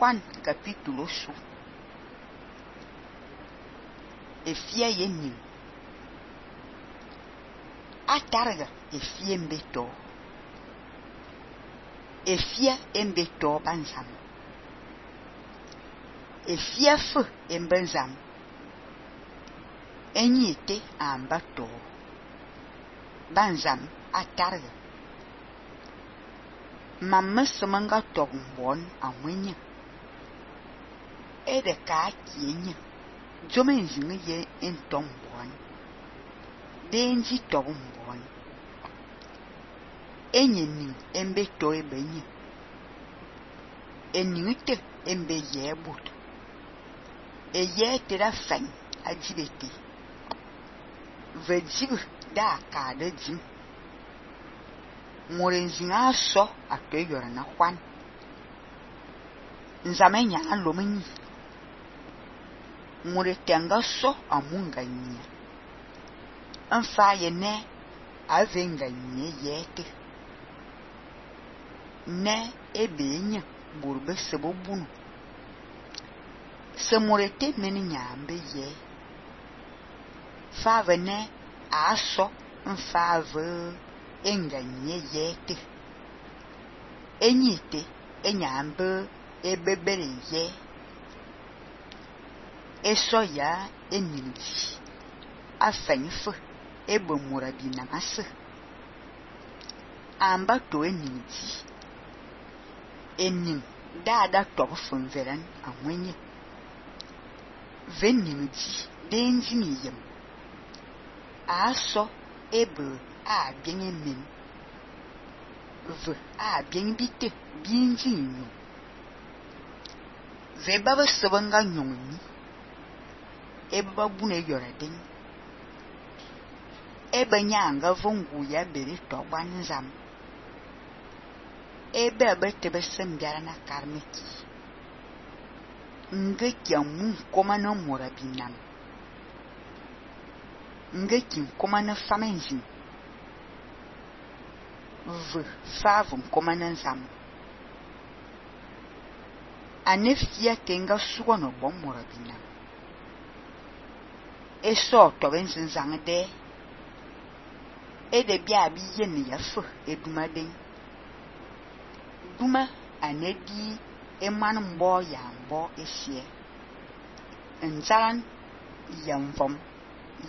Juan capítulo su. Efia yenin. Atarga efia embeto. Efia embeto banzam. Efia fe embenzam. Enyite ambato. Banzam atarga. Mamma semanga togbon amwenya. Ede ka kienya. Jomen zinge ye entombon. Denji togbon. Enyening embeto ebenye. Enyite embe yebut. Eye tera fang ajibete. Vejib da ka de jim. Morenzinga so atoyora na Juan. Nzamenya alomenyi. Moretenga so amunga nya. Anfa yene avenga nye yete. Ne ebenya burbe sebobunu. Se morete meni nyambe ye. Fave ne aso nfave enganye yete. Enyite enyambe ebebere ye. Eso ya enilji. Afenfe ebe morabina ase. Amba to enilji. Enin dada tobo funveran amwenye. Venilji denji miyem. Aso ebe a bien emen. Ve a bien bite binji nyo. Ve baba sebanga nyonyi. Ebe babune yora den. Ebe nyanga vongu ya bere togban zam. Ebe abetebe sembiara na karmeki. Ngeki amu koma na morabinam. Ngeki koma na famenzi. Ve favum koma na zam. Anefia tenga suwa no bom morabinam. Eso tobenzi zangde. Ede bia bi yen ya fe eduma den. Duma anedi eman mbo ya mbo esie. Nzaran yamvom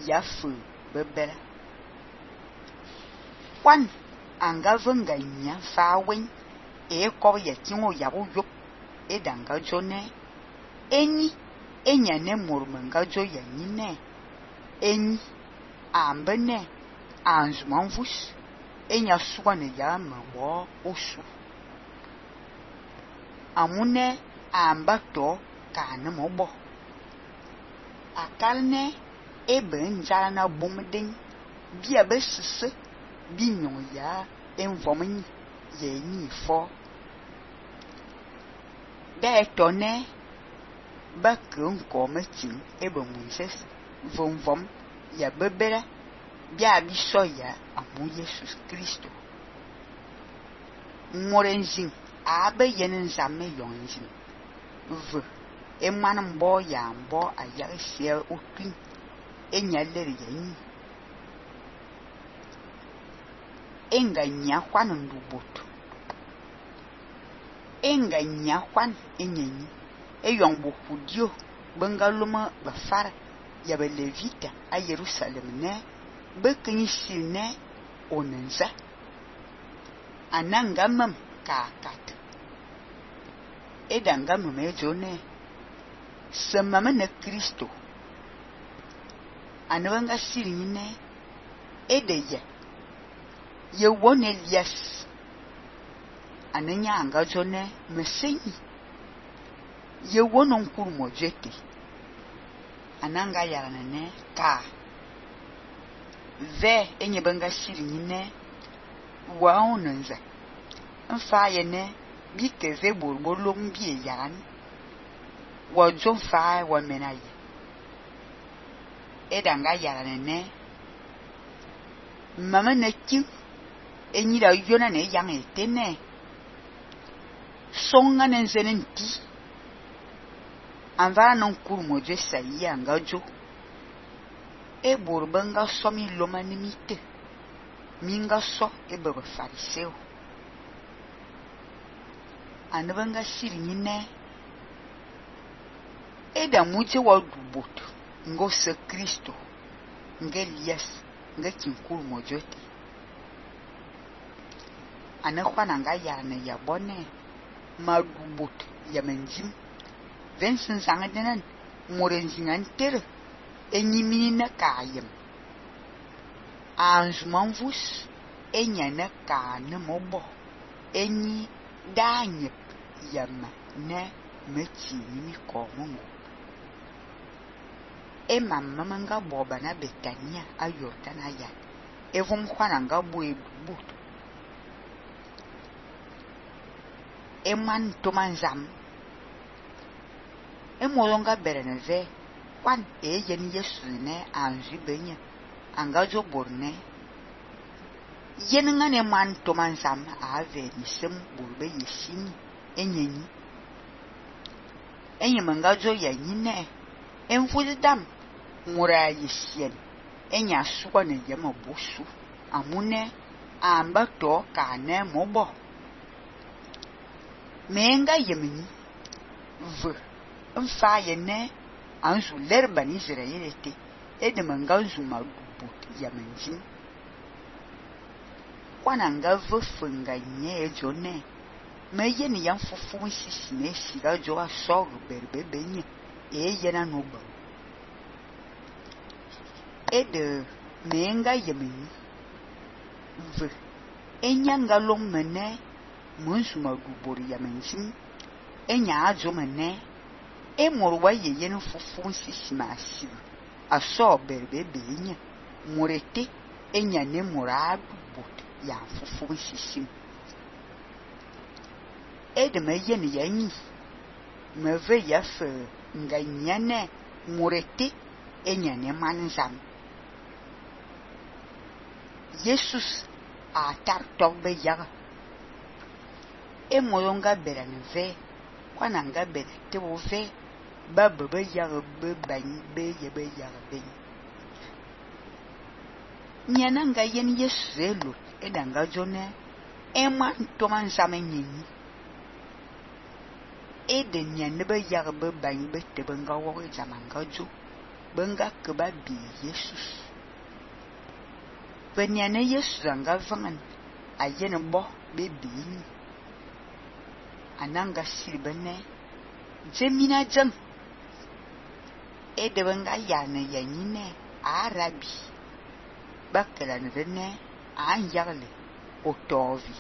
ya fe bebela. Kwan anga venga nya fa wen e ko ya tingo ya bo yop edanga jone. Enyi enya ne mormenga jo ya nyine. Enyi ambene anzumanvus enya suwane ya mawo osu. Amune ambato kane mobo. Akalne ebe njala na bomden bia besise binyon ya envomen ye ni fo. Da etone bakun kometin ebe Moses vom ya bebera bia biso ya amu Jesus Kristo. Morenzin abe yenen zamme yonzin. Ve eman mbo ya mbo ayarisia okin enyaleri yanyi. Enganya Juan nduboto. Enganya Juan enyenyi. Eyongbo kudio bengaluma bafara ya belevita a Jerusalem ne bekinisi ne onenza. Anangamam kakat. Edangamam ejone. Semama ne Kristo. Anwanga sirine edeye. Ye won Elias. Anenya anga jone mesenyi. Ye won onkuru mojete. Ananga yaranene ka. Ve enye banga sirine wa onenza. Nfa yene bike ve bolbolo mbie yaran. Wa jon fa wa menaye. Edanga yaranene mama ne ki enyi da yona ne yang etene. Songa nenzenen ti Anva non kur mojo sayi anga jo. E borbenga so mi loma nimite. Minga so e bebe fariseo. Anabanga siri nyine. E da muje wa dubot. Ngo se Kristo. Nge Elias. Nge kinkuru mojote. Anekwana nga yane ya bone. Ma dubot ya menjim. Vensen sangadenen. Morenzingan tere. Enyimini na kayem. Anjumanvus. Enya na ka ne mobo. Enyi danyep yama ne mechi nimi komungu. Mamma nga boba na Betania a Yordana ya. Evum kwana nga bwe but. Man tomanzam. Molonga bereneve. Kwan yen Yesu ne anju benye. Anga jo borne. Yen nga man tomanzam ave nisem burbe yesini. Enyenyi. Manga jo yanyine. Enfudidam. Mura yesien. Enya suwa ne yama bosu. Amune amba to ka ne mobo. Menga yemini. Mfa yene anzu lerban Israelite. Edemanga anzu madubot yamenjin. Kwana nga funga nye jone. Meye ni yan fufu sisi ne siga jo a soru berbebe nye. Yena noba. Menga yemini. Enyanga long mene. Munsuma dubori yamenjin. Enya ajo mene. Morwa yenu fufu sisi masibu. Aso berbebe nye. Murete. Enya ne muradu bot. Ya fufu sisi. Meye ni yanyi. Meve yafe. Nga nyane. Murete. Enya ne manzam. Jesus a tar togbe yaga. Moyonga beranve. Kwana nga berete ove. Ba bebe yaga be bany be yebe yaga be. Nyana nga yen Yesu elo. Edanga jone. Man tomanzame nyini. Nyane be yaga be bany be tebenga woge zamanga jo. Benga keba bi Jesus. Benyane Yesu zanga vangan. Ayene bo bebi. Ananga silbene. Jemina jang. Benga yane yanyine. Arabi. Bakela nvene. Anyarle. Otovi.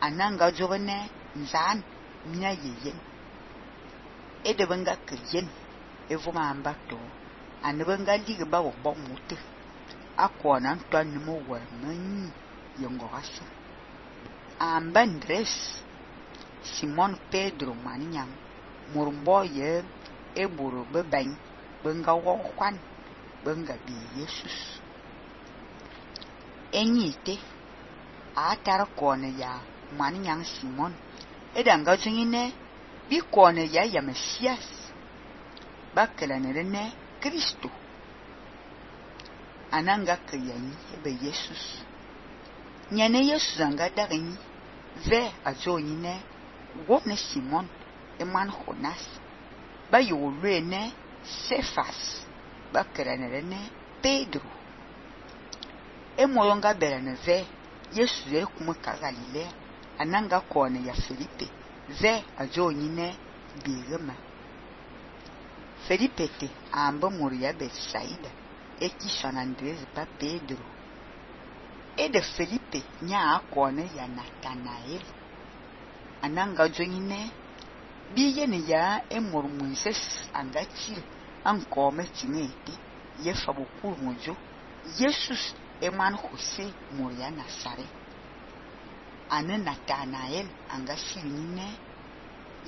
Ananga jovene. Nzan. Mina yeyen. Benga kiryen. Evuma ambato. Anabenga ligba wabo mutu. Akwana ntwani mo warmanyi yongorasa. Ambandres Simon Pedro maninyam murumbo ye eburu bebany benga wokwan benga bi Jesus. Enyite atara kone ya maninyam Simon edanga jingine bi kone ya Mesias bakela ne Kristo. Ananga kayanyi ebe Jesus. Nyane Yesu zanga darinyi. Ve ajo nyine. Wone Simon. Man Jonas. Ba yolwe ne. Cephas. Ba keranere ne. Pedro. Moyonga berane ve. Yesu zere kumuka Galilea. Ananga kone ya Felipe. Ve ajo nyine. Birema. Felipe te. Amba Moria Betsaida. Eki San Andres pa Pedro. De Felipe nya akone ya Nathanael. Ananga joine. Biye ni ya Moses anga chile. Ankome chimete. Ye fabukuru mojo. Jesus man Jose Moria Nazare. Ane Nathanael anga chile.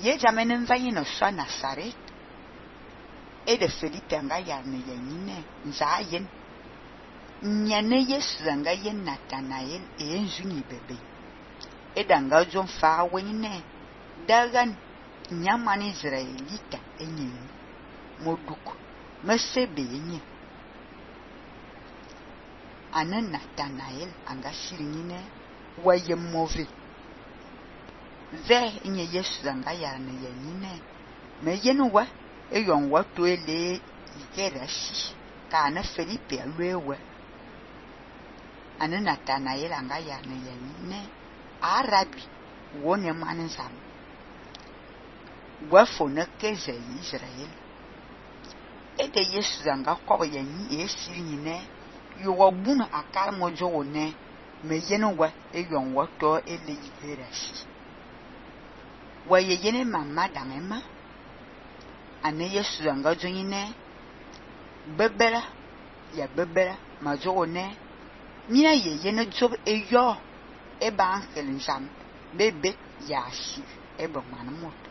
Ye jamenen vaye no so Nazaret. De Felipe anga yane yanyine. Nzayen. Nyane Yesu zanga yen Nathanael njuni bebe. Edanga jon fa wene. Dagan nyaman Israelita enyi moduk mesebe enyi ane Nathanael anga siringine waye move ve enye Yesu anga yarne yenyine me yenu wa eyon wa to ele ikerasi ka ane Felipe alwewe ane Nathanael anga yarne yenyine arabi wone manzam wafo ne keze Israel ede Yesu anga kobo yenyi esiringine yo wabuna akar mojo one me yenu wa eyon wa to ele ikerasi waye yene mama dangema ane Yesu anga jonyine bebera ya bebera majo one mina ye yene job eyo eba angel nsam bebe ya si ebe manamot